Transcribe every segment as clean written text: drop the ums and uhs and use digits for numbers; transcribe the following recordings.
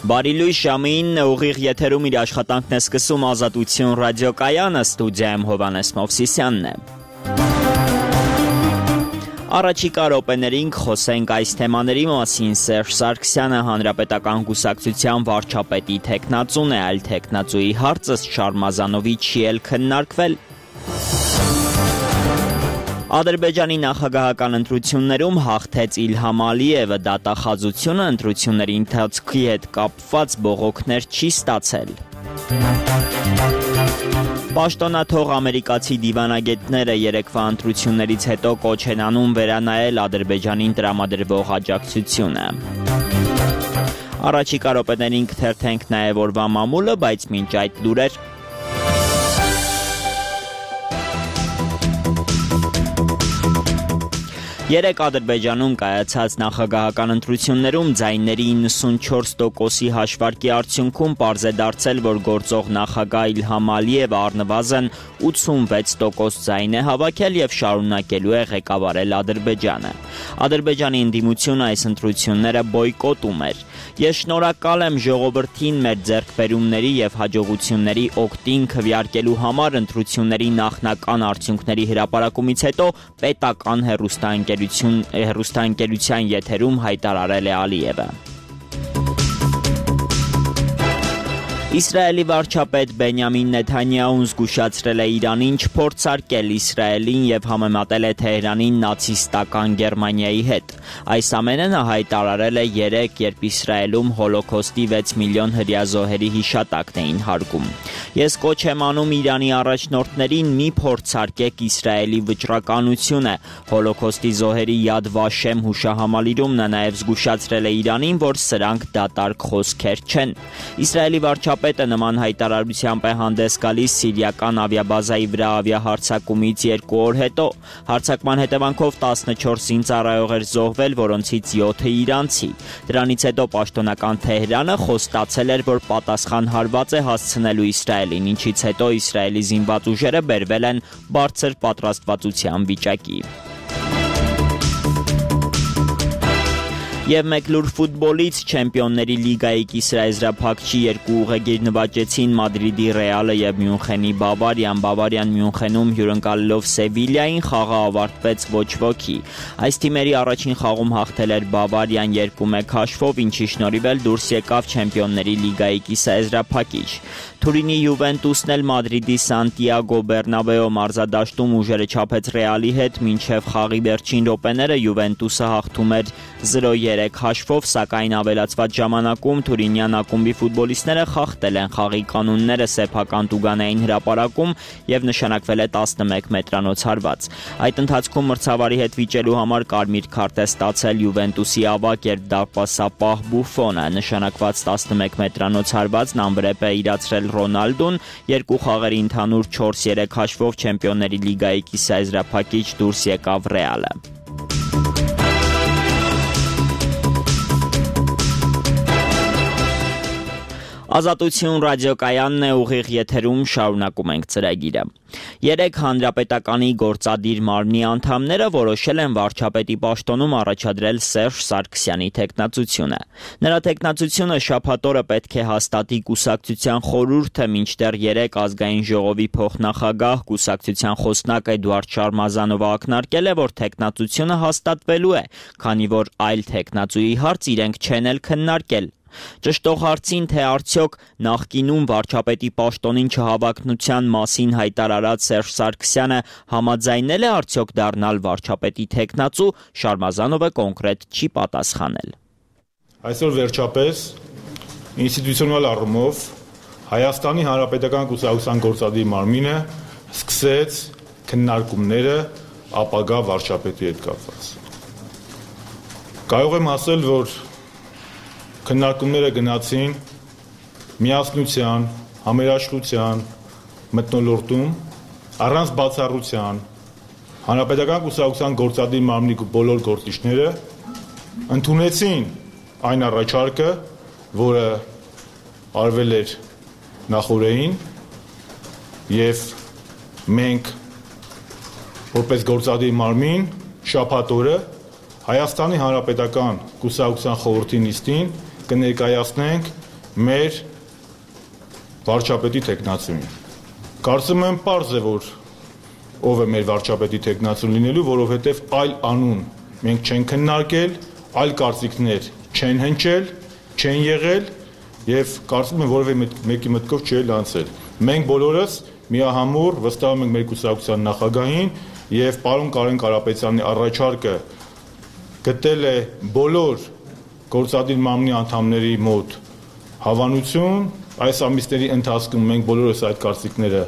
Բարի լույս, ժամը 9 ուղիղ եթերում իր աշխատանքն է սկսում Ազատություն ռադիոկայանը, ստուդիայում Հովհաննես Մովսիսյանն է։ Առաջիկա րոպեներին խոսենք այս թեմաների մասին։ Սերժ Սարգսյանը հանրապետական կուսակցության վարչապետի թեկնածուն է, այլ թեկնածուի հարցը Շարմազանովի չի էլ քննարկվել։ Ադրբեջանի նախագահական ընտրություններում հաղթեց Իլհամ Ալիևը, դատախազությունը ընտրությունների ընթացքի հետ կապված բողոքներ չի ստացել։ Պաշտոնաթող ամերիկացի դիվանագետները երեկվա ընտրություններից հետո կոչ են անում վերանայել Ադրբեջանին տրամադրվող աջակցությունը։ Առաջիկա րոպեներին կթերթենք նաև օրվա մամուլը, բայց մինչ այդ լուրեր։ Երեկ Ադրբեջանում կայացած նախագահական ընտրություններում ձայների 94%-ի հաշվարկի արդյունքում պարզ է դարձել, որ գործող նախագահ Իլհամ Ալիևը առնվազն 86% ձայն է հավաքել և շարունակելու է ղեկավարել Ադրբեջանը։ Ադրբեջանի ընդդիմությունը այս ընտրությունները բոյկոտում էր։ Ես շնորհակալ եմ ժողովրդին մեր ձեռքբերումների և հաջողությունների օգտին քվեարկելու համար ընտրությունների նախնական արդյունքների հրապարակումից հետո պետական հեռուստաընկերության եթերում հայտարարել է Ալիևը։ Իսրայելի վարչապետ Բենյամին Նեթանյահուն զգուշացրել է Իրանին չփորձարկել Իսրայելին և համեմատել է Թեհրանին նացիստական Գերմանիայի հետ։ Այս ամենը նա հայտարարել է երեկ, երբ Իսրայելում Հոլոքոստի 6 միլիոն հրեազոհերի հիշատակն էին հարգում։ Ես կոչ եմ անում Իրանի առաջնորդներին մի փորձարկեք Իսրայելի վճռականությունը։ Հոլոքոստի զոհերի Յադ Վաշեմ հուշահամալիրում նա նաև զգուշացրել է Իրանին, որ սրանք դատարկ խոսքեր չեն։ Իսրայելի վարչապետը նման հայտարարությամբ է հանդես գալիս սիրիական ավիաբազայի վրա ավիահարձակումից 2 օր հետո։ Հարձակման հետևանքով 14 զինծառայող էր զոհվել, որոնցից 7-ը իրանցի։ Դրանից հետո պաշտոնական Թեհրանը խոստացել էր, որ պատասխան հարված է հասցնելու Իսրայելին, ինչից հետո Իսրայելի զինված ուժերը բերվել են բարձր պատրաստվածության վիճակի։ Եվ մեկ լուր ֆուտբոլից Չեմպիոնների լիգայի կիսաեզրափակչի 2 ուղեգիր նվաճեցին Մադրիդի Ռեալը և Մյունխենի Բավարիան։ Բավարիան Մյունխենում հյուրընկալելով Սևիլիային խաղը ավարտվեց ոչ ոքի։ Այս թիմերի առաջին խաղում հաղթել էր Բավարիան 2-1 հաշվով, ինչի շնորհիվ էլ դուրս եկավ Չեմպիոնների լիգայի կիսաեզրափակիչ։ Թուրինի Յուվենտուսն էլ Մադրիդի Սանտիագո Բեռնաբեո մարզադաշտում ուժերը չափեց Ռեալի հետ, մինչև խաղի վերջին րոպեները Յուվենտուսը հաղթում էր 0-3 հաշվով, սակայն ավելացված ժամանակում թուրինյան ակումբի ֆուտբոլիստները խախտել են խաղի կանոնները սեփական տուգանային հրապարակում և նշանակվել է 11 մետրանոց հարված։ Այդ ընթացքում մրցավարի հետ վիճելու համար կարմիր քարտ է ստացել Յուվենտուսի ավագ դարպասապահ Բուֆոնը։ Նշանակված 11 մետրանոց հարվածն անվրեպ է իրացրել Ռոնալդուն, 2 խաղերի ընդհանուր 4-3 հաշվով Չեմպիոնների լիգայի կիսաեզրափակիչ դուրս եկավ Ռեալը։ Ազատություն ռադիոկայանն է, ուղիղ եթերում շարունակում ենք ծրագիրը։ Երեկ հանրապետականի գործադիր մարմնի անդամները որոշել են վարչապետի պաշտոնում առաջադրել Սերժ Սարգսյանի թեկնածությունը։ Նրա թեկնածությունը շաբաթ օրը պետք է հաստատի կուսակցության խորհուրդը, մինչդեռ երեկ ազգային ժողովի փոխնախագահ կուսակցության խոսնակ Էդուարդ Շարմազանովը ակնարկել է, որ թեկնածությունը հաստատվելու է, քանի որ այլ թեկնածուի հարց իրենք չեն էլ քննարկել։ Ճշտող հարցին, թե արդյոք նախկինում վարչապետի պաշտոնին չհավակնության մասին հայտարարած Սերժ Սարգսյանը համաձայնել է արդյոք դառնալ վարչապետի թեկնածու, Շարմազանովը կոնկրետ չի պատասխանել։ Այսօր վերջապես ինստիտուցիոնալ առումով Հայաստանի Հանրապետական կուսակցության գործադիր մարմինը սկսեց քննարկումները ապագա վարչապետի հետ կապված։ Կարող եմ ասել, որ քննարկումները գնացին միասնության, համերաշխության մթնոլորտում, առանց բացառության, Հանրապետական կուսակցության գործադիր մարմնի բոլոր գործիչները ընդունեցին այն առաջարկը, որը արվել էր նախօրեին, և մենք որպես գործադիր մարմին շաբաթ օրը Հայաստանի Հանրապետական կուսակցության խորհրդի նիստին կներկայացնենք մեր վարչապետի տեխնացուն։ Կարծում եմ պարզ է, որ ով է մեր վարչապետի տեխնացուն լինելու, որովհետև այլ անուն մենք չենք քննարկել, այլ կարծիքներ չեն հնչել, չեն եղել եւ կարծում եմ որևէ մեկի մտքով չէ անցել։ Մենք բոլորս միահամուռ վստահում ենք մեր կուսակցության նախագահին եւ պարոն Կարեն Կարապետյանի առաջարկը գտել է բոլոր գործադիր մամլի անդամների մոտ հավանություն, այս ամիսների ընթացքում մենք բոլորս այդ կարծիքները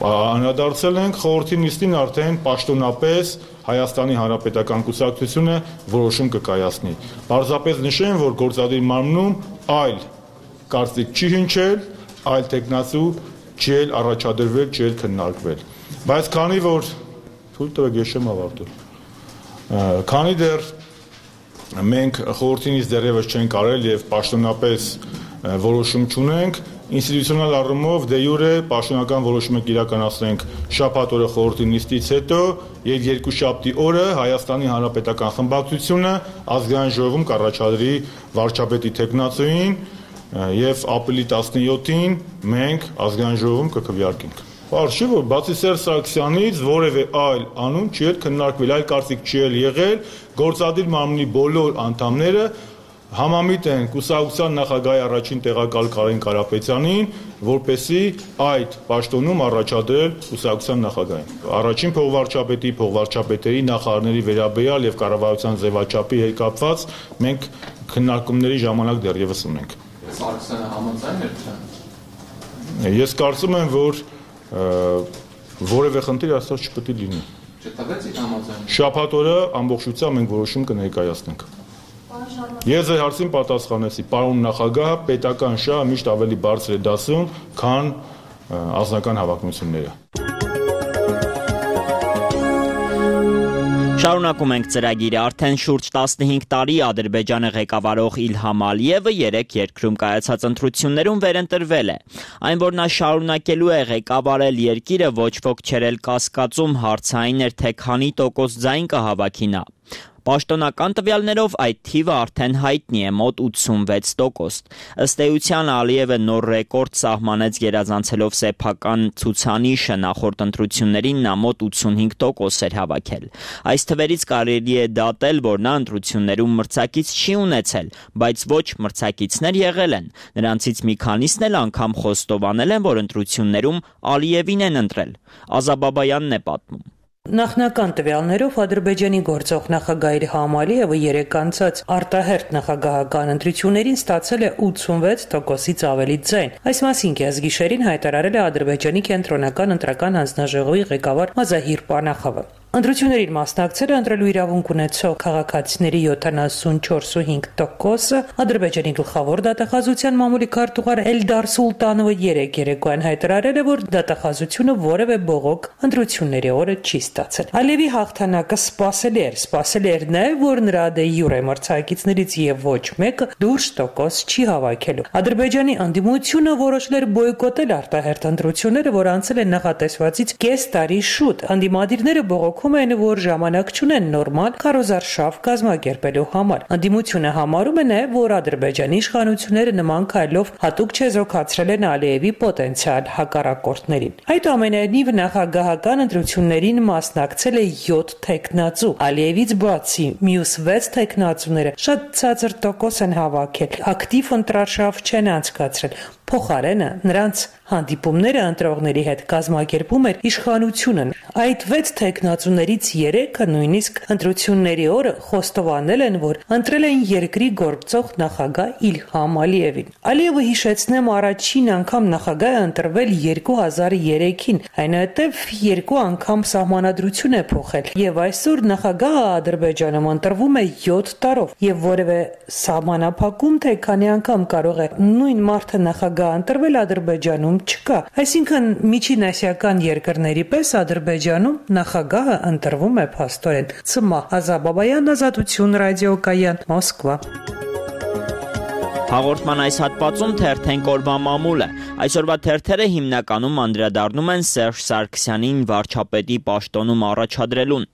անդրադարձել ենք, խորհրդի նիստին արդեն պաշտոնապես Հայաստանի Հանրապետական կուսակցությունը որոշում կկայացնի։ Պարզապես նշեմ, որ գործադիր մամլում այլ կարծիք չի հնչել, այլ տեխնացու չի առաջադրվել, չի քննարկվել։ Բայց քանի որ թույլ տվեք ես չեմ ավարտել։ Քանի դեռ մենք խորհրդինից դեռևս չենք արել եւ պաշտոնապես որոշում չունենք, ինստիտուցիոնալ առումով դե յուրե պաշտոնական որոշումը կիրականացնենք շաբաթ օրը խորհրդի նիստից հետո եւ երկուշաբթի օրը Հայաստանի Հանրապետական խմբակցությունը ազգային ժողովում կառաջադրի վարչապետի տեխնացուին եւ ապրիլի 17-ին մենք ազգային ժողովում կքվեարկենք։ Պարզ չէ, որ բացի Սերժ Սարգսյանից որևէ այլ անուն չի քննարկվել, այլ կարծիք չի եղել, գործադիր մամլի բոլոր անդամները համամիտ են կուսակցության նախագահի առաջին տեղակալ Կարեն Կարապետյանին, որպեսզի այդ պաշտոնում առաջադրել կուսակցության նախագահին։ Առաջին փոխվարչապետերի, նախարարների վերաբերյալ եւ կառավարության ձևաչափի հետ կապված մենք քննարկումների ժամանակ դեռևս ունենք։ Սարգսյանը համաձայն էր չէ։ Ես կարծում եմ, որ որևէ խնդիր աստված չպետք է լինի։ Չտվեցիք համաձայն։ Շաբաթ օրը ամբողջությամբ մենք որոշում կներկայացնենք։ Ես ձեր հարցին պատասխանեցի, պարոն նախագահ, պետական շահը միշտ ավելի բարձր է դասում, քան անձնական հավակնությունները։ Շարունակում ենք ծրագիրը, արդեն շուրջ 15 տարի Ադրբեջանը ղեկավարող Իլհամ Ալիևը 3 երկրում կայացած ընտրություններում վերընտրվել է։ Այն, որ նա շարունակելու է ղեկավարել երկիրը, ոչ ոք չէր էլ կասկածում, հարցային էր, թե քանի տոկոս ձայն կհավաքի նա։ Պաշտոնական տվյալներով այդ թիվը արդեն հայտնի է, մոտ 86%։ Ըստ էության Ալիևը նոր ռեկորդ սահմանեց գերազանցելով սեփական ցուցանիշը, նախորդ ընտրություններին նա մոտ 85% էր հավաքել։ Այս թվերից կարելի է դատել, որ նա ընտրություններում մրցակից չի ունեցել, բայց ոչ մրցակիցներ եղել են։ Նրանցից մի քանիսն էլ անգամ խոստովանել են, որ ընտրություններում Ալիևին են ընտրել։ Ազաբաբայանն է պատմում։ Նախնական տվյալներով Ադրբեջանի գործող նախագահ Իլհամ Ալիևը 3 անցած արտահերթ նախագահական ընտրություններին ստացել է 86%-ից ավելի ձայն։ Այս մասին կեսգիշերին հայտարարել է Ադրբեջանի կենտրոնական ընտրական հանձնաժողովի ղեկավար Մազահիր Պանախովը։ Ընտրություններին մասնակցել է ընտրելու իրավունք ունեցող քաղաքացիների 74.5%-ը, Ադրբեջանի գլխավոր դատախազության մամուլի քարտուղար Էլդար Սուլտանովը 3 երեկոյան հայտարարել է, որ դատախազությունը որևէ բողոք ընտրությունների օրը չի ստացել։ Ալիևի հաղթանակը սպասելի էր նաև, որ նրա դե յուրե մրցակիցներից եւ ոչ մեկը դուրս տոկոս չի հավաքելու։ Ադրբեջանի անդիմությունը որոշել էր բոյկոտել արտահերթ ընտրությունները, որ անցել են նախատեսվածից կես տարի շուտ։ Անդիմադիրները բողոք են, որ ժամանակ չունեն նորմալ քարոզարշավ կազմակերպելու համար։ Անդիմությունը համարում է նաև, որ Ադրբեջանի իշխանությունները նման քայլով հատուկ չեզոքացրել են Ալիևի պոտենցիալ հակառակորդներին։ Այդուամենայնիվ նախագահական ընտրություններին մասնակցել է 7 տեխնացու։ Ալիևից բացի մյուս 6 տեխնացուները շատ ցածր տոկոս են հավաքել, ակտիվ ընտրարշավ չեն անցկացրել։ Փոխարենը նրանց հանդիպումները ընտրողների հետ կազմակերպում էր իշխանությունը։ Այդ 6 տեխնացուներից 3-ը նույնիսկ ընտրությունների օրը խոստովանել են, որ ընտրել են երկրի գործող նախագահ Իլհամ Ալիևին։ Ալիևը հիշեցնեմ առաջին անգամ նախագահ է ընտրվել 2003-ին, այնուհետև 2 անգամ սահմանադրություն է փոխել, եւ այսօր նախագահը Ադրբեջանում ընտրվում է 7 տարով, եւ որևէ սահմանափակում թե քանի անգամ կարող է նույն մարդը նախագահ ընտրվել Ադրբեջանում չկա։ Այսինքն միջին ասիական երկրների պես Ադրբեջանում նախագահը ընտրվում է փաստորեն։ Ցմա Ազաբաբայան, Ազատություն ռադիոկայան, Մոսկվա։ Հաղորդման այս հատվածում թերթենք օրվա մամուլը։ Այսօրվա թերթերը հիմնականում անդրադառնում են Սերժ Սարգսյանին վարչապետի պաշտոնում առաջադրելուն։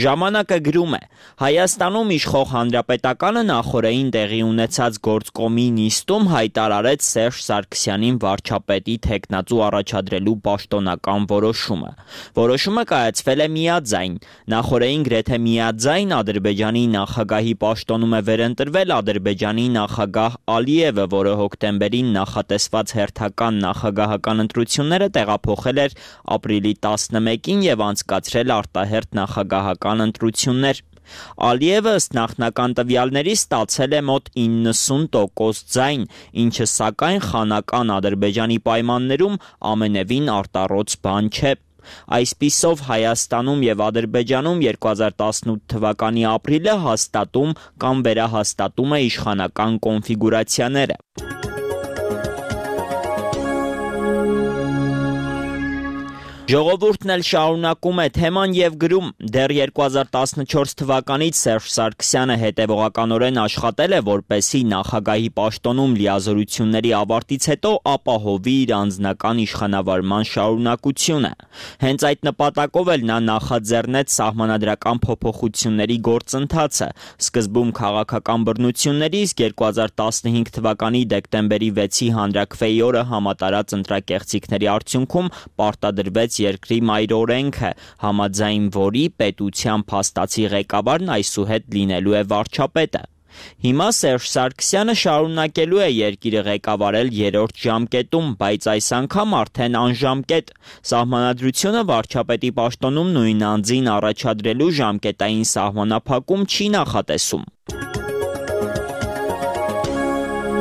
Ժամանակը գրում է. Հայաստանում իշխող Հանրապետականը նախորդին տեղի ունեցած գործկոմի նիստում հայտարարեց Սերժ Սարգսյանին վարչապետի թեկնածու առաջադրելու պաշտոնական որոշումը։ Որոշումը կայացվել է միաձայն։ Նախորդին գրեթե միաձայն Ադրբեջանի նախագահի պաշտոնում է վերընտրվել Ադրբեջանի նախագահ Ալիևը, որը հոկտեմբերին նախատեսված հերթական նախագահական ընտրությունները տեղափոխել էր ապրիլի 11-ին եւ անցկացրել արտահերթ նախագահական ընտրություններ։ Ալիևը ըստ նախնական տվյալների ստացել է մոտ 90% ձայն, ինչը սակայն խանական Ադրբեջանի պայմաններում ամենևին արտառոց բան չէ։ Այսպիսով Հայաստանում եւ Ադրբեջանում 2018 թվականի ապրիլը հաստատում կամ վերահաստատում է իշխանական կոնֆիգուրացիաները։ Ժողովուրդն էլ շարունակում է թեման եւ գրում. դեռ 2014 թվականից Սերժ Սարգսյանը հետևողականորեն աշխատել է, որպեսզի նախագահի պաշտոնում լիազորությունների ավարտից հետո ապահովի իր անձնական իշխանավարման շարունակությունը։ Հենց այդ նպատակով էլ նա նախաձեռնեց սահմանադրական փոփոխությունների գործընթացը, սկզբում քաղաքական բռնությունների, իսկ 2015 թվականի դեկտեմբերի 6-ի հանրաքվեի օրը համատարած ընտրակեղծիքների արդյունքում պարտադրվեց երկրի մայրօրենքը, համաձայն որի պետության փաստացի ղեկավարն այսուհետ լինելու է վարչապետը։ Հիմա Սերժ Սարգսյանը շարունակելու է երկիրը ղեկավարել երրորդ ժամկետում, բայց այս անգամ արդեն անժամկետ։ Սահմանադրությունը վարչապետի պաշտոնում նույն անձին առաջադրելու ժամկետային սահմանափակում չի նախատեսում։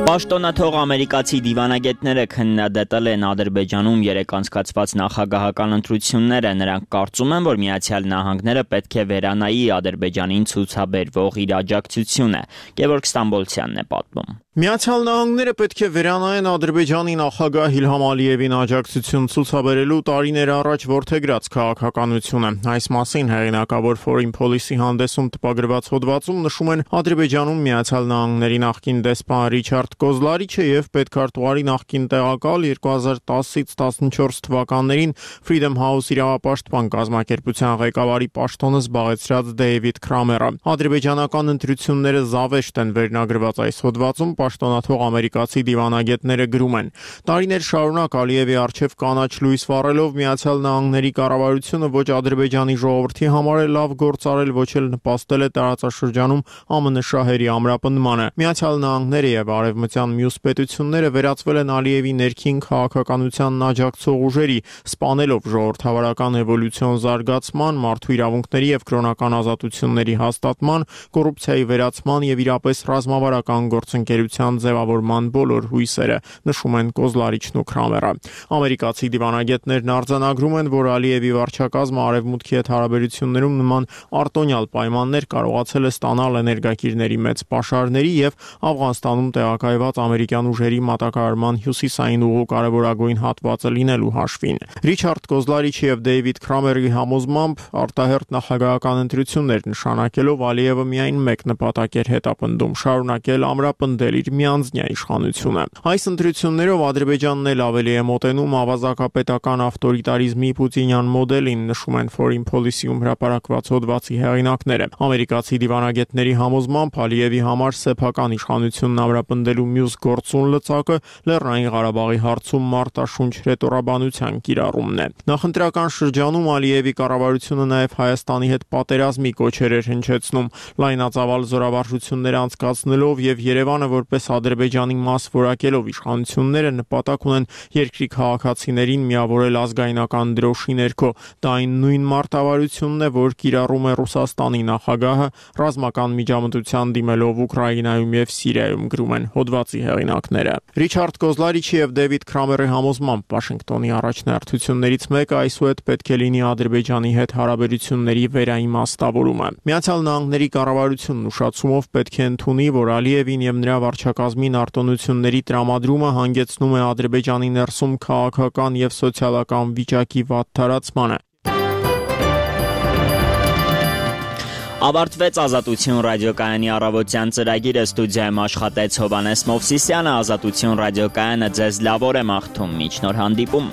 Պաշտոնաթող ամերիկացի դիվանագետները քննադատել են Ադրբեջանում երեկ անցկացված նախագահական ընտրությունները։ Նրանք կարծում են, որ Միացյալ Նահանգները պետք է վերանայի Ադրբեջանին ցուցաբերվող իր աջակցությունը։ Գևորգ Ստամբոլցյանն է պատմում։ Միացյալ Նահանգները պետք է վերանայեն Ադրբեջանի նախագահ Իլհամ Ալիևին աջակցություն ցուցաբերելու տարիներ առաջ որդեգրած քաղաքականությունը։ Այս մասին հեղինակավոր Foreign Policy հանդեսում տպագրված հոդվածում նշում են Ադրբեջանում Միացյալ Նահանգների նախկին դեսպան Ռիչարդ Կոզլարիչը եւ պետքարտուղարի նախկին տեղակալ 2010-ից 14 թվականներին Freedom House իրավապաշտպան կազմակերպության ղեկավարի պաշտոնը զբաղեցրած Դեյվիդ Քրամերը։ Ադրբեջանական ընտրությունները զավեշտ են վերնագրված այս հոդվածում պաշտոնաթող ամերիկացի դիվանագետները գրում են. տարիներ շարունակ Ալիևի արչև կանաչ լույս վառելով Միացյալ Նահանգների կառավարությունը ոչ Ադրբեջանի ժողովրդի համար է լավ գործ արել, ոչ էլ նպաստել է տարածաշրջանում ԱՄՆ շահերի ամրապնդմանը։ Միացյալ Նահանգները եւ արևմտյան մյուս պետությունները վերածվել են Ալիևի ներքին քաղաքականությանն աջակցող ուժերի, սպանելով ժողովրդավարական էվոլյուցիոն զարգացման, մարդու իրավունքների եւ կրոնական ազատությունների հաստատման, կոռուպցիայի վերացման եւ իրապես ռազմավարական գործընկերության ձևավորման բոլոր հույսերը, նշում են Կոզլարիչն ու Քրամերը։ Ամերիկացի դիվանագետներն արձանագրում են, որ Ալիևի վարչակազմը արևմուտքի հետ հարաբերություններում նման արտոնյալ պայմաններ կարողացել է ստանալ էներգակիրների մեծ պաշարների եւ Աֆղանստանում տեղակայված ամերիկյան ուժերի մատակարարման հյուսիսային ուղու կարևորագույն հատվածը լինելու հաշվին։ Ռիչարդ Կոզլարիչի եւ Դեյվիդ Քրամերի համոզմամբ արտահերթ նախագահական ընտրություններ նշանակելով Ալիևը միայն մեկ նպատակ էր հետապնդում՝ շարունակել ամրապնդել իր միանձնյա իշխանությունը։ Այս ընտրություններով Ադրբեջանն էլ ավելի է մոտենում ավազակապետական ավտորիտարիզմի պուտինյան մոդելին, նշում են Foreign Policy-ում հրապարակված հոդվածի հեղինակները։ Ամերիկացի դիվանագետների համոզմամբ Ալիևի համար սեփական իշխանությունն ամրապնդելու մյուս գործուն լծակը Լեռնային Ղարաբաղի հարցում մարտաշունչ ռետորաբանության կիրառումն է։ Նախընտրական շրջանում Ալիևի կառավարությունը նաև Հայաստանի հետ պատերազմի կոչեր էր հնչեցնում, լայնածավալ զորավարժություններ անցկացնելով եւ Երևանը որպես Ադրբեջանի մաս որակելով իշխանությունները նպատակ ունեն երկրի քաղաքացիներին միավորել ազգայնական դրոշի ներքո։ Դա այն նույն մարտավարությունն է, որ կիրառում է Ռուսաստանի նախագահը ռազմական միջամտության դիմելով Ուկրաինայում եւ Սիրիայում, գրում են հոդվածի հեղինակները։ Ռիչարդ Կոզլարիչի եւ Դեյվիդ Քրամերի համոզմամբ Վաշինգտոնի առաջնահերթություններից մեկը այսուհետ պետք է լինի Ադրբեջանի հետ հարաբերությունների վերաիմաստավորումը։ Միացյալ Նահանգների կառավարությունն ուշացումով պետք է ընդունի, որ Ալիևին եւ նրա վարչակազմին արտոնությունների տրամադրումը հանգեցնում է Ադրբեջանի ներսում քաղաքական եւ սոցիալական վիճակի վատթարացմանը։ Ավարտվեց Ազատություն ռադիոկայանի առավոտյան ծրագիրը, ստուդիայում աշխատեց Հովհաննես Մովսիսյանը, Ազատություն ռադիոկայանը ձեզ լավ օր է մաղթում, մինչ նոր հանդիպում։